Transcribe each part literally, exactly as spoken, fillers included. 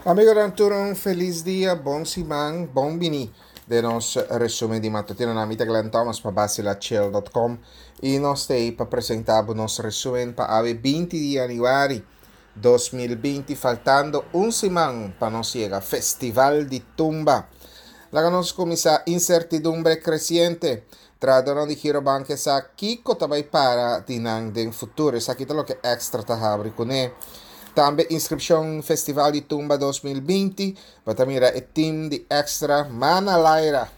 Amigonan tur un felis dia, bon siman, bon bini den nos resumen di matutino. Na mi ta Glenn Thomas pa Bacilachill dot com y nos ta pa presenta bo nos resumen pa awe binti di januari dos mil binti, faltando un siman pa nos yega Festival di Tumba. Laga nos cuminsa incertidumbre creciente. Trahadornan di Girobank sa kico ta bay para di nan den futuro. Esaki ta loke Extra ta habri cune. Tambe inscripcion Festival di Tumba dos mil binti. Bo ta mira e team di Extra Mana Laira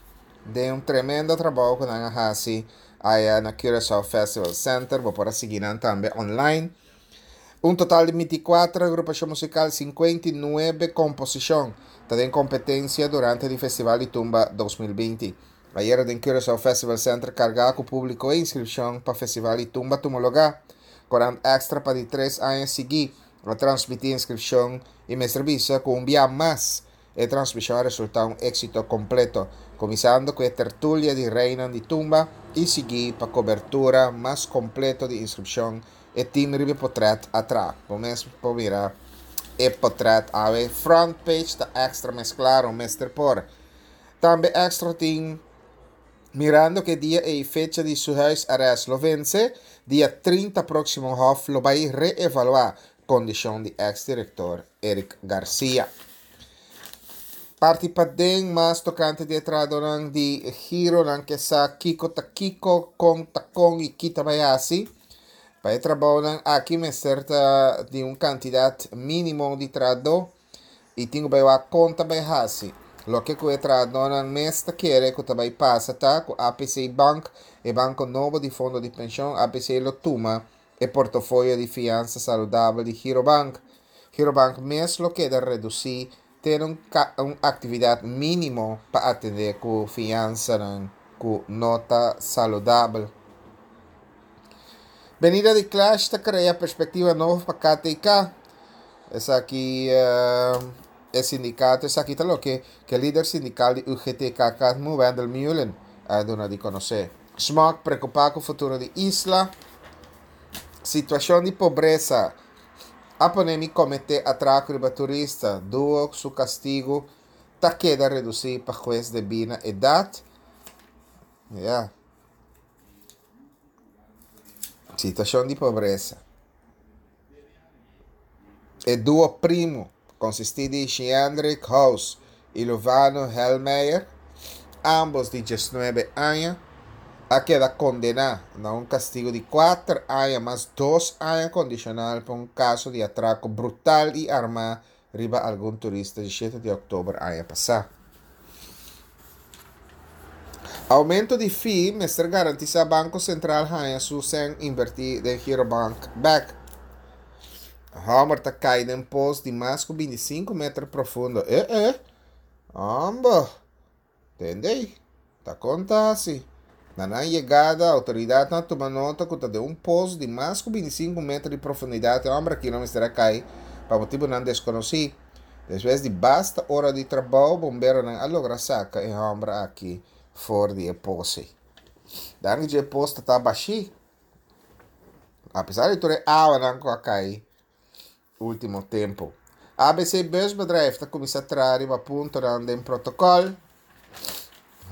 den un tremendo trabou cu nan a haci aya na Curaçao Festival Center. Bo por a sigui nan tambe online. Un total di binticuatro agrupacion musical, cincuenta y nuebe composicion ta den competencia durante di Festival di Tumba dos mil binti. Ayera den Curaçao Festival Center carga cu publico e inscripcion pa Festival di Tumba tuma lugar. Corant Extra pa di tres aña sigui a transmiti inscripcion y mester bisa cu un bia mas e transmision a resulta un exito completo, comenzando cu e tertulia di Reinan di Tumba y sigui pa cobertura mas completo di inscripcion e team riba potret atra. Bo mes por mira e potret awe front page ta Extra mes claro, mester por. Tambe Extra tin mirando que dia e fecha di su huisarrest lo vence, dia trinta próximo Hof lo vai reevaluar condición di ex-director Eric Garcia. Parti paden mas tocante di tradonan di giro nan que sa kiko ta kiko con ta con y kita bayasi. Pa e trabounan aki mester ta di un cantidad mínimo di trado y tingo bai wa conta bai hasi. Lo que ku e tradonan mes ta kere ku ta bai pasa ta ku A P C Bank, e banco nobo di fondo di pensioen, A P C lo tuma e portafolio di fianza saludabel di Girobank. Girobank mes lo queda reduci ten un ca-, un actividad mínimo pa atender ku fianza nan ku nota saludabel. Venida di Clash ta crea perspectiva novo pa K T K. Esaki, eh, e sindicato, esaki ta lo que, que líder sindical di U G T K K, Wendell Meulen, a duna di conocer. Smok preocupa cu futuro di isla. Situación di pobreza. A ponemi comete atraco riba turista. Duo su castigo ta queda reduci pa juez de bina edad. Ya. Situación di pobreza. E duo primo consistí di Sheandrick House y Lovano Helmeyer, ambos de diecinueve años, a queda condenado a un castigo de cuatro años más dos años condicional por un caso de atraco brutal y arma riba algún turista el siete de octubre año pasado. Aumento di fee, mester garantiza Banco Central haya su sen invertir de Girobank back. Homer ta cai den post di mas ku veinticinco metros profundo. Eh, eh. Amba. Entendei? Ta conta así. Na nan llegada, autoridad na toma nota ku ta de un post di mas ku veinticinco metros de profundidad. E hombre aquí no mester cai pa motivo nan desconocí. Después de basta hora de trabajo, bombero nan a logra saca e hombre aquí for di e pose. Dan que e posto tá baixi. Apesar de ter água nan com a cai último tempo. A B C Busbedrijf tá começa a trazer uma ponta nan den protocolo.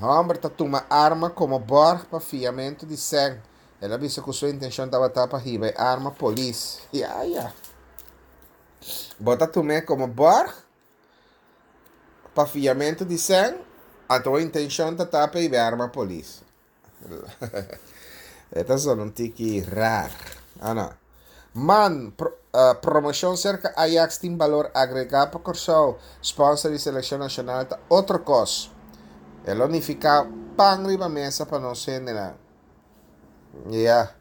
Hombre tá toma arma como borg pa fiamento de sangue. Ela disse que sua intenção tava tapa riba arma police. Ya, ya. Bota tome como borg pa fiamento de sangue. A tua intenção tá tapa e arma police. Esta só um tiki rar. Ah, não. Man, pro, uh, promoção cerca Ajax tem valor agregado para Corsou. Sponsor de seleção nacional tá outro cos. Ela unifica pan riba mesa para não ser nada. Yeah.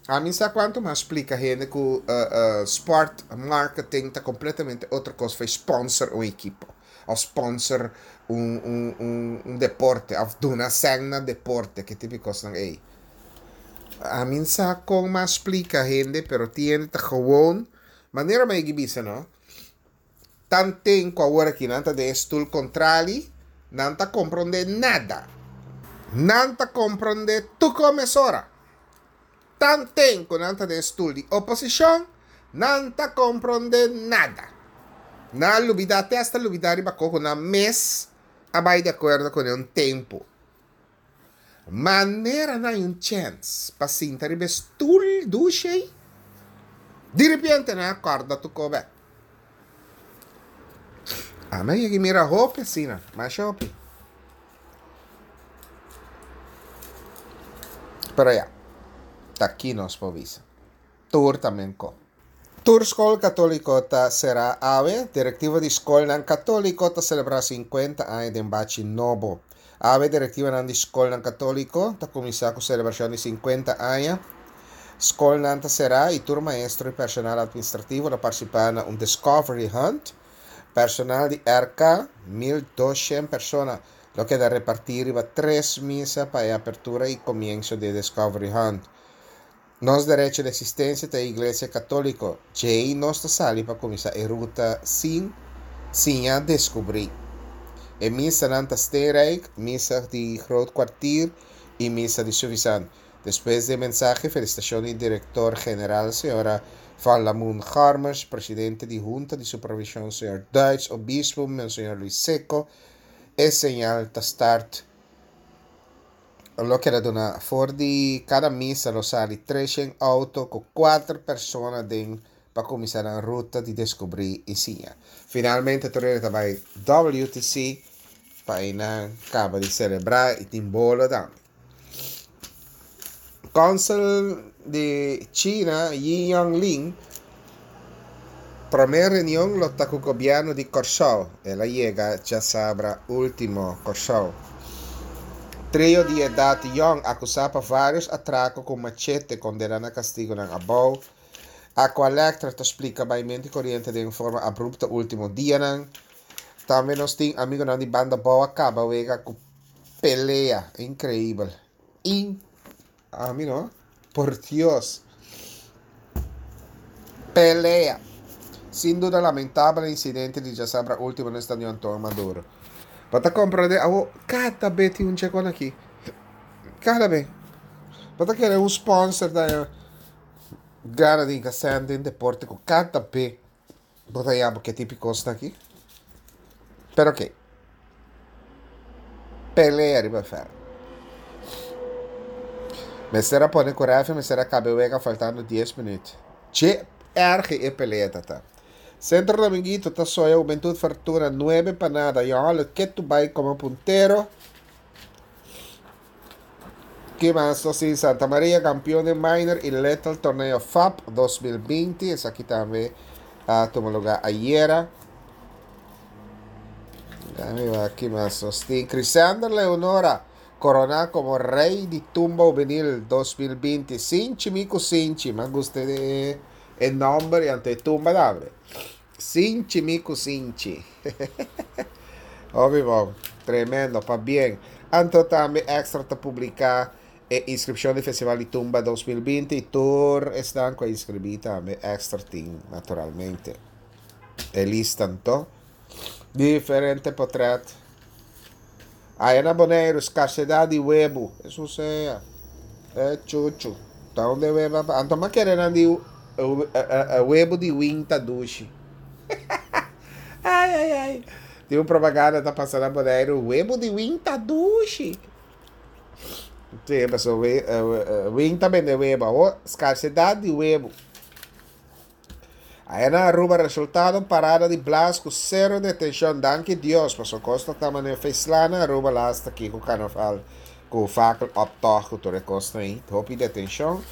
A mim sabe quanto mais explica gente que uh, uh, sport marketing tá completamente outra coisa foi sponsor um equipo. Ou sponsor um, um, um, um deporte, ou dona sangue deporte, que tipo de coisa não é. A mim sabe como mais explica gente, pero tiene tá gewoon maneira mais que bisa, não? Tanto com agora que não tá de stool contrali, não tá compreende nada. Não tá compreende tu comes ora. Tanto com não tá de stool de oposição, não tá compreende nada. Nan a lubidá, te asta lubidá riba koko nan mes a bai di akuerdo kuné un tempu. Manera nan hay un chèns pa sinta riba e stul dushi ei, diripiente nan a kòrda tur kos bèk. Ami a yega mira hopi asina, masha hopi. Pero ya, ta aki nos por bisa. Tur ta menko. Tur skol katóliko ta será awe. Direktiva di skolnan katóliko ta selebrá sinkuenta aña den bachi nobo. Awe direktivanan di skolnan katóliko ta kuminsá ku selebrashon di sinkuenta aña. Skolnan ta será i tur maestro i personal administrativo lo partisipá na un Discovery Hunt. Personal di R K, mil doshen persona, lo keda repartí riba tres misa pa e apertura i komienso di e Discovery Hunt. Nos derecho di eksistensia ta e Iglesia Katóliko. Djei nos ta sali pa kuminsá e ruta sin siña deskubrí. E misanan ta Steenrijk, misa di Groot Kwartier i misa di Suffisant. Despues di e mensahe felisitashon di Direktor General señora Van Lamoen Garmers, presidente di Hunta di Supervishon señor Duits Obispo Monseñor Luis Secco, e señal ta start. Lo keda duna for di kada misa lo sali treshen outo ku kuater persona den pa kuminsá nan ruta di deskubrí i siña. Finalmente tur hende ta bai W T C pa einan kaba di selebrá i tin bolo tambe. Consul di China Yi Yonglin promé reunion lo ta ku gobièrnu di Kòrsou. El a yega djasabra último Kòrsou. Trio di edat yòn akusá pa vários atrako ku machete kondená na kastigunan abou. Aqualectra ta splika baimentu di koriente den forma abrupto último dianan. Tambe nos tin amigunan di Banda Bou a kaba wega ku pelea. Inkreibel. In, ami no, por Dios. Pelea. Sin duda lamentabel insidente di djasabra último na stadion Anton Maduro. Bo ta komprondé awo kada be tin un chekon aki. Kada be. Bo ta kere un sponsor da gana di sèn den deporte ku kada be bo ta yama ke tipo kos aki. Pero oké. Pelea riba vèlt. Mester a pone ku rèfi mester a kaba e wega faltando dies minüt. Che erg e pelea tata. Centro Dominguito ta soya Juventud Fortuna nuebe pa nada. Johan ketu bai komo puntero. Ke mas nos tin? Santa Maria kampeon di minor i Little Torneo F A P dos mil binti. Esaki tambe a tuma lugá ayera. Ke mas nos tin? Crisander Leonora koroná komo rei di tumba hubenil dos mil binti. Sinchi Miku Sinchi. Mi gusta e, e nòmber i ante tumba tambe. Sinchi Miku Sinchi. Hopi bon. Tremendo, pabien. Anto tambe Extra ta publiká e inskripshon di Festival di Tumba dos mil binti i tur esnan ku a inskribí tambe Extra tin naturalmente. E lista anto. Diferente portrèt. Aya na Boneiru, skarsedat di webu. Esei sea. E chuchu. Ta unda webu. Anto m'a kere nan di webu di winta dushi. Ai, ai, ai. Tin un propaganda ta pasando na Boneiru. Webu di winta dushi. Si, pasó winta bende webu. Oh, skarsedat di webu. Aya na Aruba resultado parada di blaas ku sero detenshon. Danki Dios. Pasó kos ta manera feslana Aruba lasta aki ku karnaval ku fakkel optocht ku tur e kos ei. Hopi detenshon.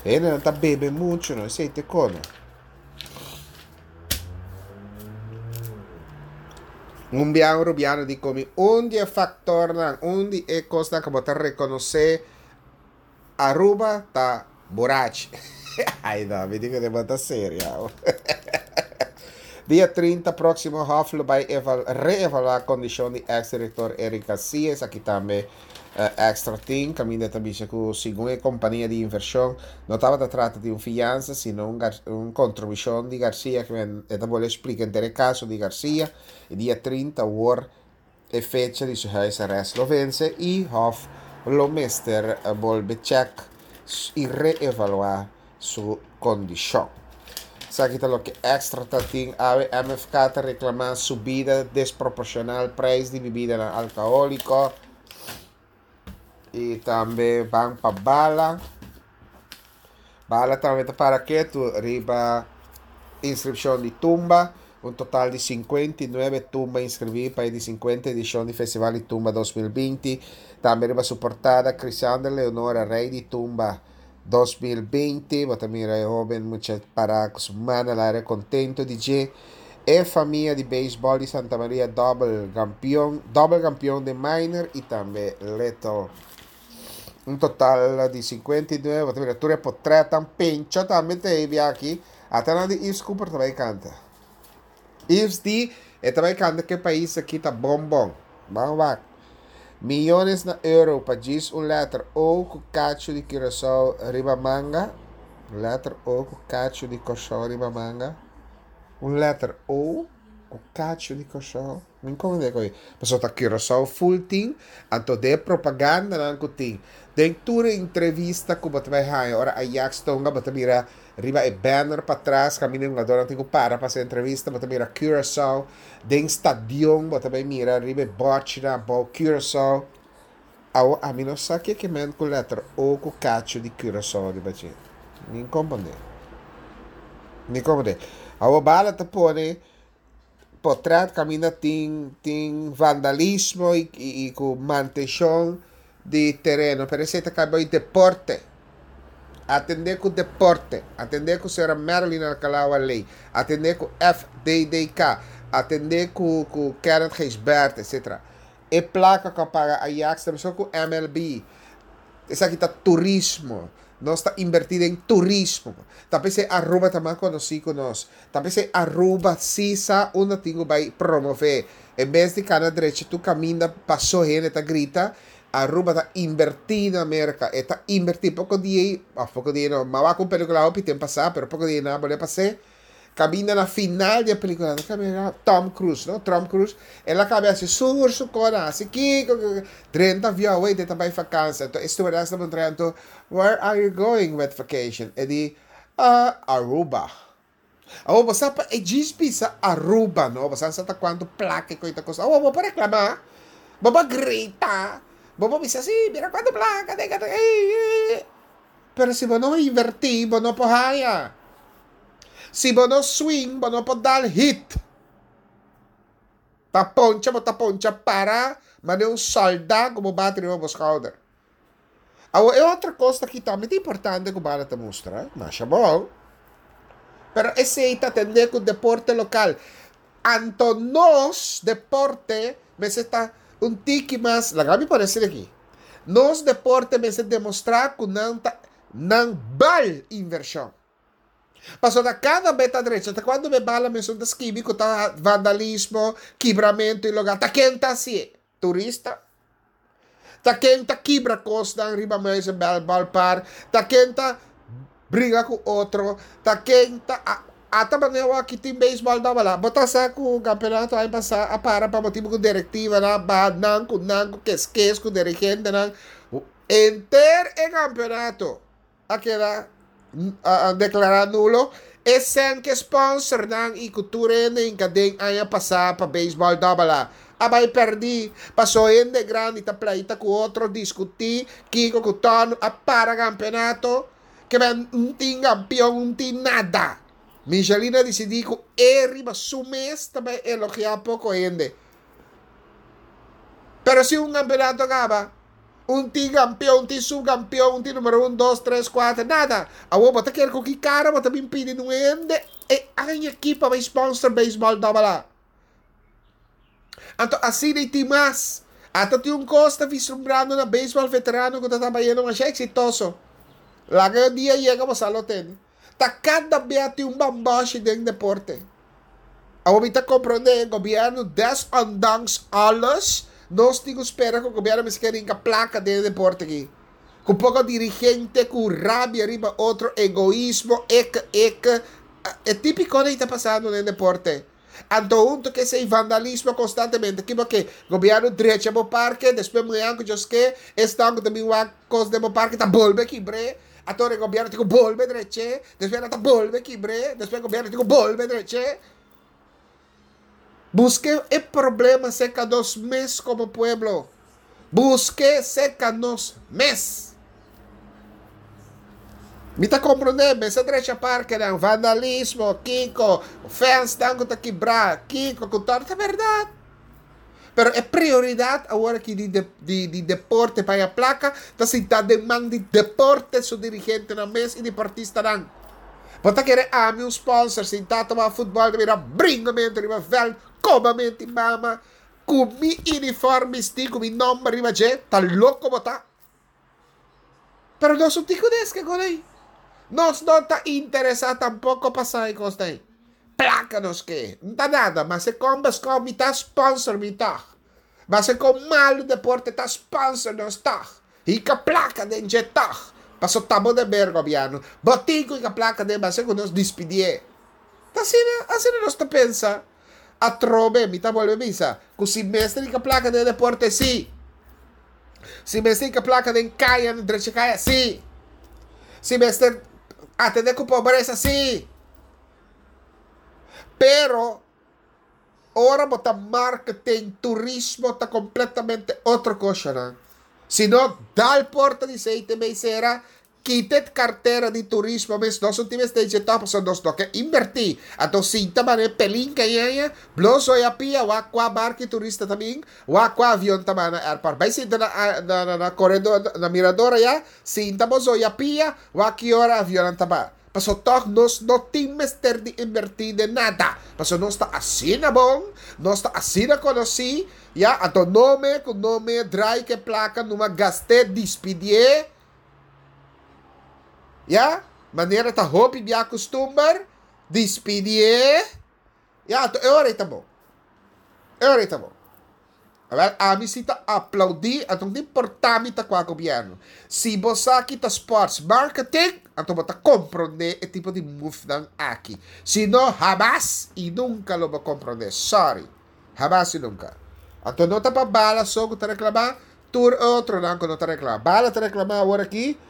Hende nan ta bebe muchu, no esei te kono. Un bia un rubiano di ku mi un di e faktornan, un di e kosnan ku bo ta rekonosé Aruba ta burachi. Ai no, mi di ku ta serio. Dia trinta próksimo Hof lo bai eval, reevaluá kondishon di ex-direktor Eric Garcia. Aki tambe uh, Extra tin, kaminda tambe ku segun e kompania di invershon no tabata trata di un fiansa, sino un, un kontribushon di Garcia, ku e ta bolbe splika e kaso di Garcia. I dia trinta awor e fecha di su huisarrest lo vense i Hof lo mester bolbe check i reevaluá su kondishon. Esaki ta loke Extra ta tin awe. M F K ta reklamá subida desproporshonal preis di bebida alkohóliko. I tambe ban pa Bala. Bala tambe ta para ketu riba inskripshon di tumba. Un total di sinkuenta i nuebe tumba inskribí pa e di sinkuenta edishon di Festival di Tumba dos mil binti. Tambe riba su portada Crisander Leonora, Rei di Tumba dos mil binti. Bo ta mira e hóben mucha para ku su man na kontentu di dje. E famia di beisbòl di Santa Maria double kampeon, double kampeon di minor i tambe little. Un total di sinkuenta i nuebe, bo ta mira tur potrèt pencha tambe tin aki. Ata na di Yves Cooper tambe kanta. Yves di, e tambe kanta ku e pais aki ta bon bon. Ban wak. Miyones na euro pa djis un letter O ku kachu di Curaçao riba manga. Letter O ku kachu di Kòrsou riba manga. Un letter O ku kachu di Kòrsou. Mi komprondé koi. Pasobra ta Curaçao full tin, anto den propaganda nan ku tin. Den tur entrevista ku bo ta bai haña, ora Ajax ta hunga, bo ta mira riba e banner patras, kaminda e hungadó tin ku para pa e entrevista, bo ta mira Curaçao. Den stadion, bo ta bai mira riba bòrchi na bo Curaçao. Awo, ami no sa ke ke men ku letter O ku kachu di Curaçao riba dje. Mi n' komprondé. Mi n' komprondé. Awo Bala ta pone portrèt kaminda tin tin vandalismo i, i, i ku mantenshon di tereno, pero esei ta kai deporte. Atendé ku deporte, atendé ku señora Marilyn Alcalá Ley, atendé ku F D D K, atendé ku, ku Kenneth Gijsbert, et cetera. E plaka ku a paga Ajax, tambe ku M L B. Esaki ta turismo. Nos ta invertí den turismo. Talbes Aruba ta mas konosí ku nos. Talbes Aruba si sa unda tin ku bai promové. En bes di kana drechi tur kaminda pasó hende ta grita, Aruba ta invertí na Amérika. E ta invertí poko dia, ah, poko dia no, m'a wak un pelíkula hopi tempu pasá, pero poko dia no, bolbe pasa. Kaminda na final di e pelíkula, kaminda Tom Cruise, no? Tom Cruise, el a kaba hasi sur su kona, hasi kiko, drenta avion, wait, e ta bai vakantie. Anto, stewardess ta puntra, "Where are you going with vacation?" E di, uh, "Aruba." Oh, bo pa e djis bisa Aruba, no? Bo sa ta kuantu plaka ku ta kosta. Oh, bo por reklamá. Bo por grita. Bo por bisa sí, mira kuantu plaka, teka, teka. Pero si bo no invertí, bo no por haya. Si bo no swing, bo no por dal hit. Ta poncha, bo ta poncha para, ma un sòldá ku bo bati riba bo skouder. Awor, e otro kos aki tambe ta importante ku Bala ta mustra, masha bon. Pero esei ta atendé ku deporte lokal. Anto nos deporte, mester ta un tiki mas, laga mi parese aki. Nos deporte mester demostrá ku nan ta, nan bal invershon. Pasobra kada bes ta drecha, te kuando me Bala mes ta skibi ku ta vandalismo, kibramentu i lugá, ta ken ta hasi? Turista? Ta ken ta kibra kosnan riba Muizenberg Ballpark, ta ken ta bringa ku otro, ta ken ta ata manera aki tin beisbòl da bala. Bo ta sa ku kampeonato aña pasá a para pa motibu ku direktiva na ba nan ku nan ku keskes ku dirigente nan enter e kampeonato a keda a, a deklará nulo e sen ku sponsor nan i ku tur hende hinka den aña pasá pa beisbòl double A bai pèrdí, pasó hende grandi ta pleita ku otro, diskutí, kiko ku tono, a para kampeonato, ke men no tin kampeon, no tin nada. Michelina a disidí ku e riba su mes tambe elogiá poko hende. Pero si un kampeonato kaba, no tin kampeon, no tin supkampeon, no tin number un, dos, tres, kuater, nada. Awor, bo ta kere ku ki kara, bo ta bin pidi un hende, e aña aki pa sponsor beisbòl double A. Anto, asina tin mas. Ata tin un kos ta vislumbrando na beisbòl veterano ku ta trahando mas eksitoso. Laga dia yega, bo lo tende. Ta kada bes tin un bambashi den deporte. Awor mi ta komprondé, gobièrnu, desondanks alles, nos tin ku spera ku gobièrnu mester hinka plaka den deporte aki. Ku poko dirigente, ku rabia riba otro, egoismo, ek, ek, e típiko ku ta pasando den deporte. Anto huntu ku esei vandalismo konstantemente. Ku ke gobièrnu drecha bo parke, despues mañan ku ke, esnan ku tambe wak kos den bo parke, ta bolbe kibr'é. Anto e gobièrnu tin ku bolbe drech'é, despues nan ta bolbe kibr'é, despues gobièrnu tin ku bolbe drech'é. Buska e problema serka nos mes komo pueblo. Busk'é serka nos mes. Mi ta komprondé, mester drecha parkenan, vandalismo, kiko, fènsnan ku ta kibrá, kiko ku ta, ta bèrdat. Pero e prioridat awor aki di di di deporte pa haña plaka ta sintá den man di deporte su dirigentenan mes i deportistanan. Bo ta kere ami un sponsor sintá ta wak futbòl ta bira bringamentu riba vèlt, komamentu i mama ku mi uniform bistí ku mi nòmber riba dje? Ta loko bo ta? Pero nos no tin ku deske kon ei. Nos no ta interesá tampoko pa sa e kosnan ei. Plaka nos ke. N ta nada, mas e kon beskò mi ta sponsor mi tòg. Mas e kon malu deporte ta sponsor nos tòg. Hika plaka den dje tòg. Paso ta bo deber gobièrnu. Bo tin ku hika plaka den mas e ku nos dispidié. Ta asina, asina nos ta pensa. Atrobe mi ta bolbe bisa ku si mester hika plaka den deporte si. Si mester hinka plaka den kaya, na drecha kaya, sí. Si mester atende ku pobresa, sí. Pero ora bo ta marketing, turismo ta kompletamente otro koshanan. Si no dal porta di C T B sera, Kita e kartera di turismo mes, nos no tin mester dje tòg pasobra nos no ke inbertí. Anto sinta manera e pelin kañaña, blo soya pia, wak kua barki turista ta bin, wak kua avion ta baha na airport. Bai sinta na na na koredor na mirador aya, sinta bo soya pia, wak ki ora avionnan ta baha. Pasobra tòg nos no tin mester di inbertí den nada, pasobra nos ta asina bon, nos ta asina konosí, ya, anto nome ku nome drai ke plaka numa gast'é, dispidié. Ya, manera ta hopi bia kustumber, dispidié. Ya, anto e ora ei ta bon. E ora ei ta bon. Awel, ami si ta aplaudí, anto no ta importá mi ta kua gobièrnu. Si bo sa ki ta sports marketing, anto bo ta komprondé e tipo di move-nan aki. Si no, hamas i nunka lo bo komprondé. Sorry. Hamas i nunka. Anto no ta pa bala so ku ta reklamá, Tur e otronan ku no ta reklamá. Bala ta reklamá awor aki,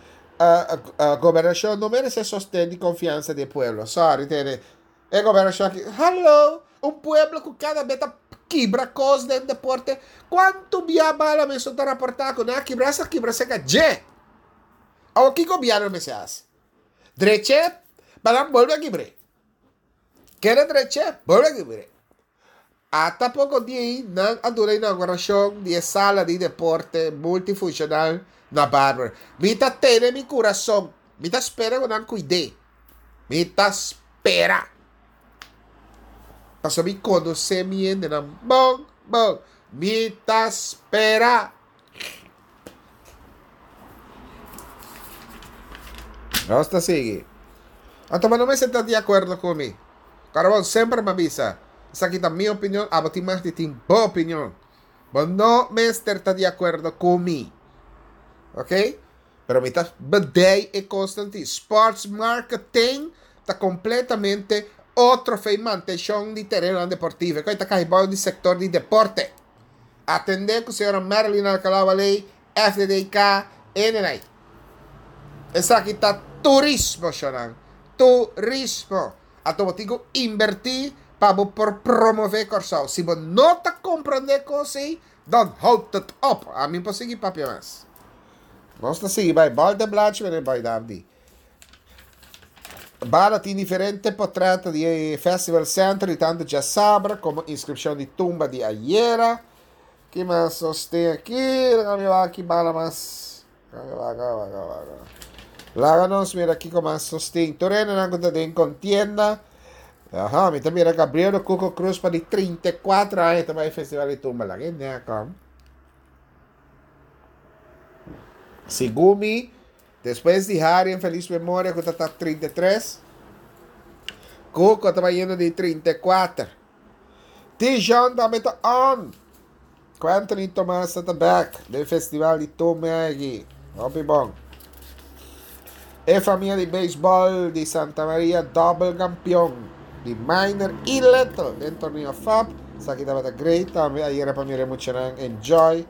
Gobernashon no meresé sosten di konfiansa di e pueblo. Sorry tene. E gobernashon aki, hallo! Un pueblo ku kada be ta kibra kos den deporte. Kuantu bia Bala mesun ta raportá ku nan a kibra? Esa kibra serka dje. Awor ki gobièrnu mester hasi? Drech'é pa nan bolbe a kibr'é. Keda drech'é, bolbe a kibr'é. Ata poko dia ei nan a duna inaugurashon di e sala di deporte multifunshonal na Barber. Mi ta tene mi kurason. Mi ta spera ku nan kuid'é. Mi ta spera. Pasobra mi konosé mi hendenan bon bon. Mi ta spera. Nos ta sigui. Anto bo no mester ta di akuerdo ku mi. Karbon semper mi a bisa, esaki ta mi opinion, abo tin mag di tin bo opinion. Bo no mester ta di akuerdo ku mi. Ok? Pero mi ta bedei e kosnan ti. Sports marketing ta kompletamente otro fei mantenshon di terenonan deportivo. E kos ta kai bou di sektor di deporte. Atendé ku señora Marilyn Alcalá Waley, F D D K, N N I. Esaki ta turismo, shonnan. Turismo. Anto bo tin ku inbertí pa bo por promové Kòrsou. Si bo no ta komprondé kos ei, dan houd het op. Ami por sigui papia mas. Nos ta sigui bai bòlta e blachi meneer Boy Davdi. Bala tin diferente potrèt di e Festival Center di tantu djasabra komo inskripshon di tumba di ayera. Ki mas nos tin aki? Laga mi wak ki bala mas. Laga nos mira kiko mas nos tin. Tur hendenan ku ta den kontienda. Aha, mi ta mira Gabriel Cuco Cruz pa di trinta i kuater aña ta bai Festival di Tumba. Laga e nea kom. Segun mi, despues di Harry en feliz memoria ku ta ta trinta i tres, Cuco ta bai yendo di trinta i kuater. Tijon tambe ta on. Quentin y Tomas ta back den festival di Tumegi. Hopi bon. E famia di baseball di Santa Maria double campeon di minor y little den torneo F A B. Esaki tabata great tambe. Ayera pa mira e muchanan enjoy.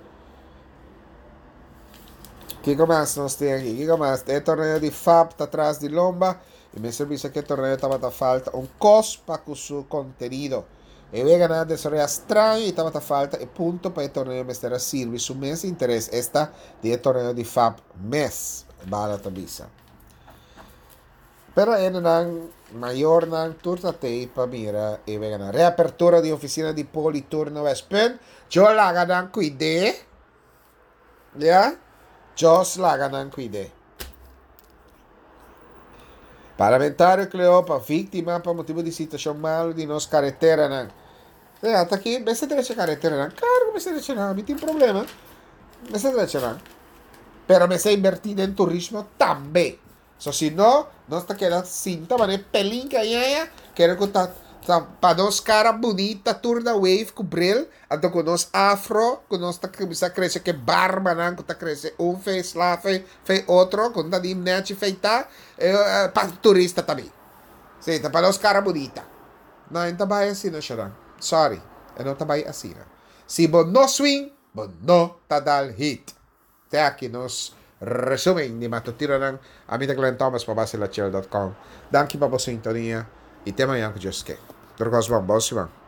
Kiko mas nos tin aki? Kiko mas? E torneo di F A B ta tras di lomba i mester bisa ku e torneo tabata falta un kos pa ku su kontenido. E weganan a desaroyá straño i tabata falta e punto pa e torneo mester a sirbi su mes interes, esta di e torneo di F A B mes, bala ta bisa. Pero hendenan, mayornan, tur ta tei pa mira e weganan. Reapertura di ofisina di Poli tur na Westpunt. Djo laga nan kuid'é. Ya? Djos laga nan kuid'é. Parlamentario Cleopa, víktima pa motibu di situashon malu di nos kareteranan. Sea, ata aki mester drecha kareteranan. Klaro ku mester drecha nan, mi tin problema. Mester drecha nan. Pero mester invertí den turismo tambe. So si no, nos ta keda sinta manera pelin kañaña, kere ku ta ta pa nos kara bunita tur na wave ku bril, anto ku nos afro, ku nos ta kuminsá krese ku e barbanan ku ta krese un fe sla fe fe otro, ku no ta ni nechi feitá, pa turista ta bin. Sí, ta pa nos kara bunita. No, e no ta bai asina, Sharon. Sorry, e no ta bai asina. Si bo no swing, bo no ta dal hit. Te aki nos resumen di matutinonan. Ami ta Glenn Thomas pa Basilachel dot com. Danki pa bo sintonia y te mañan cu Dios ke. Tur cos bon. Bon siman.